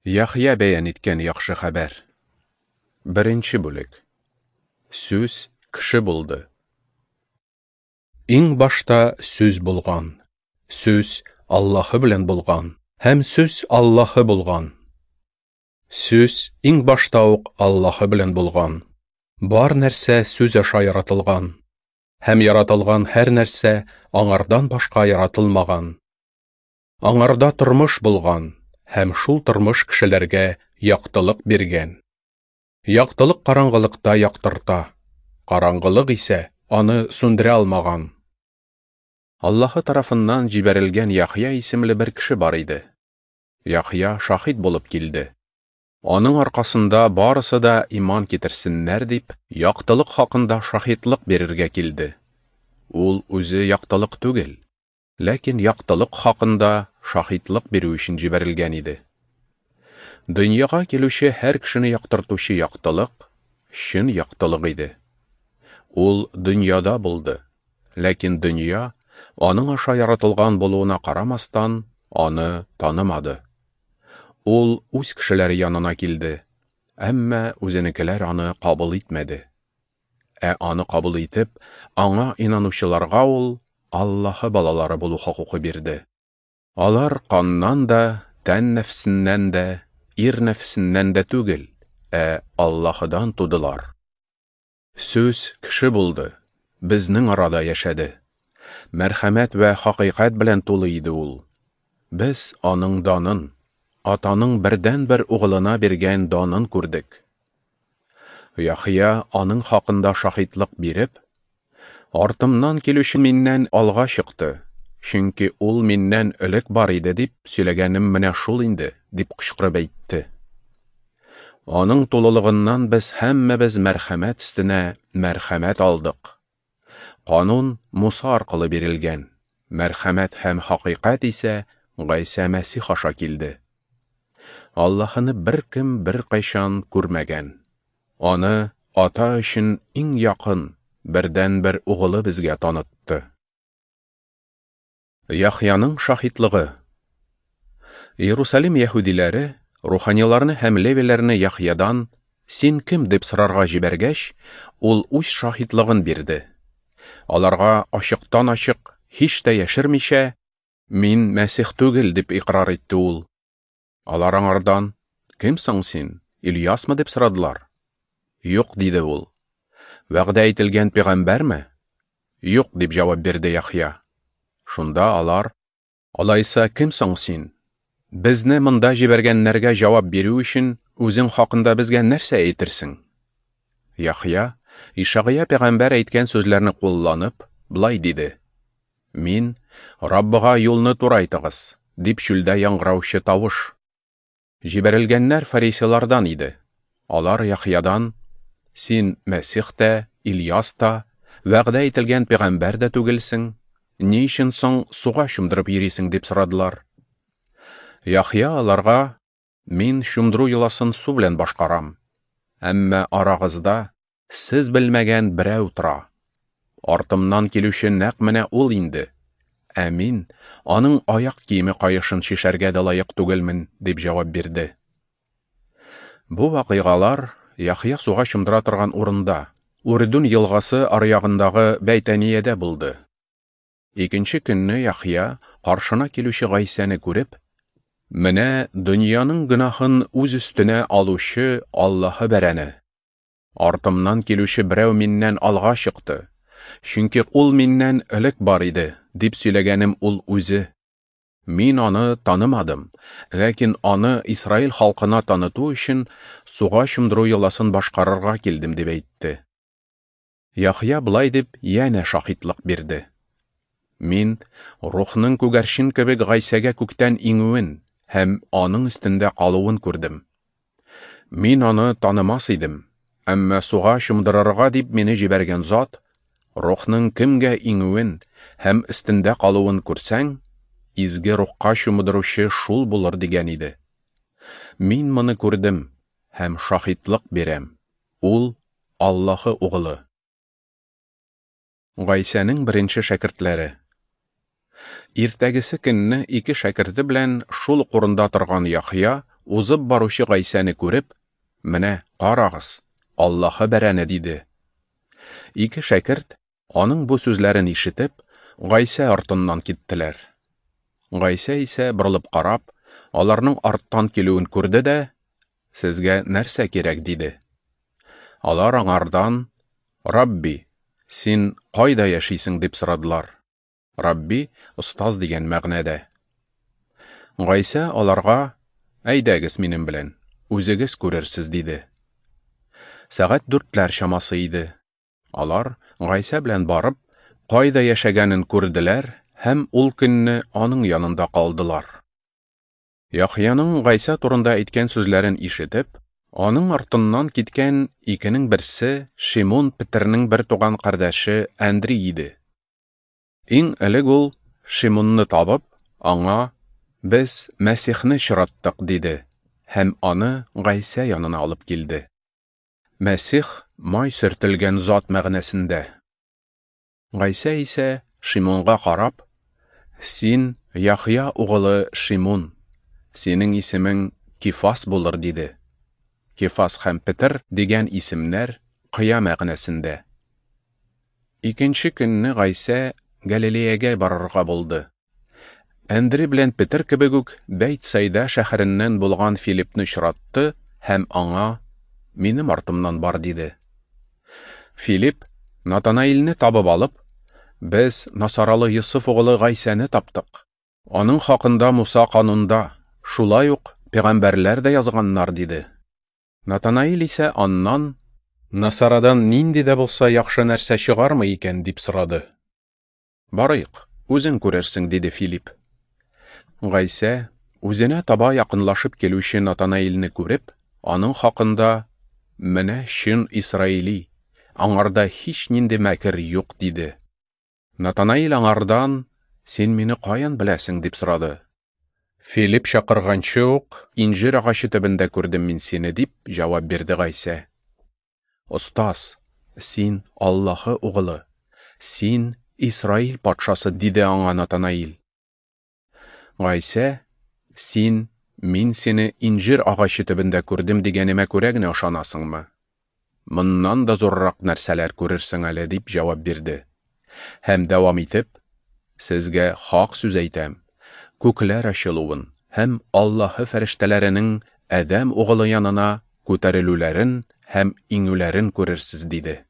Яхъя бәян иткән яхшы хәбәр. Беренче бүлек. Сүз кеше булды. Иң башта Сүз булган. Сүз Аллаһы белән булган, һәм Сүз Аллаһы булган. Сүз иң башта ук Аллаһы белән булган. Бар нәрсә Сүз аша яратылган, һәм яратылган һәр нәрсә аңардан башка яратылмаган. Аңарда тормыш булган, һәм шул тормыш кешеләргә яктылык биргән. Яктылык караңгылыкта яктырта, караңгылык исә аны сүндерә алмаган. Аллаһы тарафыннан җибәрелгән Яхъя исемле бер кеше бар иде. Яхъя шаһит булып килде. Аның аркасында барысы да иман китерсеннәр дип, яктылык хакында шаһитлык бирергә килде. Ул үзе яктылык түгел, ләкин яктылык хакында шаһитлык бирү өчен җибәрелгән иде. Дөньяга килүче һәр кешене яктыртучы яктылык чын яктылык иде. Ул дөньяда булды, ләкин дөнья, аның аша яратылган булуына карамастан, аны танымады. Ул үз кешеләре янына килде, әмма үзенекеләр аны кабул итмәде. Ә аны кабул итеп, аңа инанучыларга ул Аллаһы балалары булу хокукы бирде. Алар каннан да, тән нәфсеннән дә, ир нәфсеннән дә түгел, ә Аллаһыдан тудылар. Сүз кеше булды, безнең арада яшәде. Мәрхәмәт вә хакыйкать белән тулы иде ул. Без аның данын, Атаның бердәнбер угылына биргән данын күрдек. Яхъя аның хакында шаһитлык биреп: "Артымнан килүче миннән алга чыкты, чөнки ул миннән элек бар иде", дип сөйләгәнем менә шул инде, дип кычкырып әйтте. Аның тулылыгыннан без һәммәбез мәрхәмәт өстенә мәрхәмәт алдык. Канун Муса аркылы бирелгән, мәрхәмәт һәм хакыйкать исә Гайсә Мәсих аша килде. Аллаһыны беркем беркайчан күрмәгән. Аны Ата өчен иң якын, бердәнбер угылы безгә танытты. Яхъяның шаһитлыгы. Иерусалим яһүдиләре руханиларны һәм левиләрне Яхъядан «Син кем?» дип сорарга җибәргәч, ул үз шаһитлыгын бирде. Аларга ачыктан-ачык, һич тә яшермичә, «Мин Мәсих түгел», дип икърар итте ул. Алар аңардан: «Кем соң син? Ильясмы?» дип сорадылар. «Юк», диде ул. «Вәгъдә ителгән пәйгамбәрме?» «Юк», дип җавап бирде Яхъя. Шунда алар: «Алайса кем соң син? Безне монда җибәргәннәргә җавап бирү өчен үзең хакында безгә нәрсә әйтерсең?» Яхъя, Ишагыя пәйгамбәр әйткән сүзләрне кулланып, болай диде: «Мин, Раббыга юлны турайтыгыз, дип чүлдә яңгыраучы тавыш. Җибәрелгәннәр фарисейлардан иде. Алар Яхъядан: «Син Мәсих тә, Ильяс та, вәгъдә ителгән пәйгамбәр дә түгелсең, ни өчен соң суга чумдырып йөрисең?» дип сорадылар. Яхъя аларга: «Мин чумдыру йоласын су белән башкарам, әмма арагызда сез белмәгән берәү тора. Артымнан килүче нәкъ менә ул инде. Ә мин аның аяк киеме каешын чишәргә дә лаек түгелмен», дип җавап бирде. Бу вакыйгалар Яхъя суга чумдыра торган урында, Үрдүн елгасы аръягындагы Бәйтәниядә булды. Икенче көнне Яхъя каршына килүче Гайсәне күреп: «Менә дөньяның гөнаһын үз өстенә алучы Аллаһы бәрәне. Артымнан килүче берәү миннән алга чыкты, чөнки ул миннән элек бар иде», дип сөйләгәнем ул үзе. Мин аны танымадым, ләкин аны Исраил халкына таныту өчен суга чумдыру йоласын башкарырга килдем, дип әйтте. Яхъя болай дип янә шаһитлык бирде: «Мин Рухның күгәрчен кебек Гайсәгә күктән иңүен һәм аның өстендә калуын күрдем. Мин аны танымас идем, әмма суга чумдырырга дип мине җибәргән зат, Рухның кемгә иңүен һәм өстендә калуын күрсәң, изге рухка чумдыручы шул булыр, дигән иде. Мин моны күрдем һәм шаһитлык бирәм. Ул Аллаһы угылы». Гайсәнең беренче шәкертләре. Иртәгесе көнне ике шәкерте белән шул ук урында торган Яхъя узып баручы Гайсәне күреп, Менә, карагыз, Аллаһы бәрәне, диде. Ике шәкерт, аның бу сүзләрен ишетеп, Гайсә артыннан киттеләр. Гайсә исә, борылып карап, аларның арттан килүен күрде дә, Сезгә нәрсә кирәк? диде. Алар аңардан, Рабби, син кайда яшисең? дип сорадылар. Рабби, остаз дигән мәгънәдә. Гайсә аларга, Әйдәгез минем белән, үзегез күрерсез, диде. Сәгать дүртләр чамасы иде. Алар, Гайсә белән барып, кайда яшәгәнен күрделәр һәм ул көнне аның янында калдылар. Яхъяның Гайсә турында әйткән сүзләрен ишетеп, аның артыннан киткән икенең берсе Шимун Петернең бертуган кардәше Әндри иде. Иң элек ул Шимунны табып, аңа, Без Мәсихне очраттык, диде һәм аны Гайсә янына алып килде. Мәсих май сөртелгән зат мәгънәсендә. Гайсә исә Шимунга карап, Син Яхъя угылы Шимун, синең исемең Кифас булыр, диде. Кифас һәм Петер дигән исемнәр кыя мәгънәсендә. Икенче көнне Гайсә Галилеягә барырга булды. Әндри белән Петер кебек үк Бәйтсайда шәһәреннән булган Филиппны очратты һәм аңа, Минем артымнан бар, диде. Филипп, Натанаилне табып алып, Без Насаралы Йосыф угылы Гайсәне таптык. Аның хакында Муса канунда, шулай ук пәйгамбәрләр дә язганнар, диде. Натанаил исә аннан, Насарадан нинди дә булса яхшы нәрсә чыгармы икән, дип сорады. Барыйк, үзең күрерсең, диде Филипп. Гайсә, үзенә таба якынлашып килүче Натанаилне күреп, аның хакында, Менә чын исраили, аңарда һичнинди мәкер юк, диде. Натанаил аңардан, Син мине каян беләсең, дип сорады. Филипп чакырганчы ук, инҗир агачы төбендә күрдем мин сине, дип җавап бирде Гайсә. Остаз, син Аллаһы угылы, син Исраил патшасы, диде аңа Натанаил. Гайсә, син мин сине инҗир агачы төбендә күрдем дигәнемә күрә генә ышанасыңмы? Моннан да зуррак нәрсәләр күрерсең әле, дип җавап бирде. Һәм дәвам итеп, Сезгә хак сүз әйтәм, күкләр ачылуын һәм Аллаһы фәрештәләренең Адәм угылы янына күтәрелүләрен һәм иңүләрен күрерсез, диде.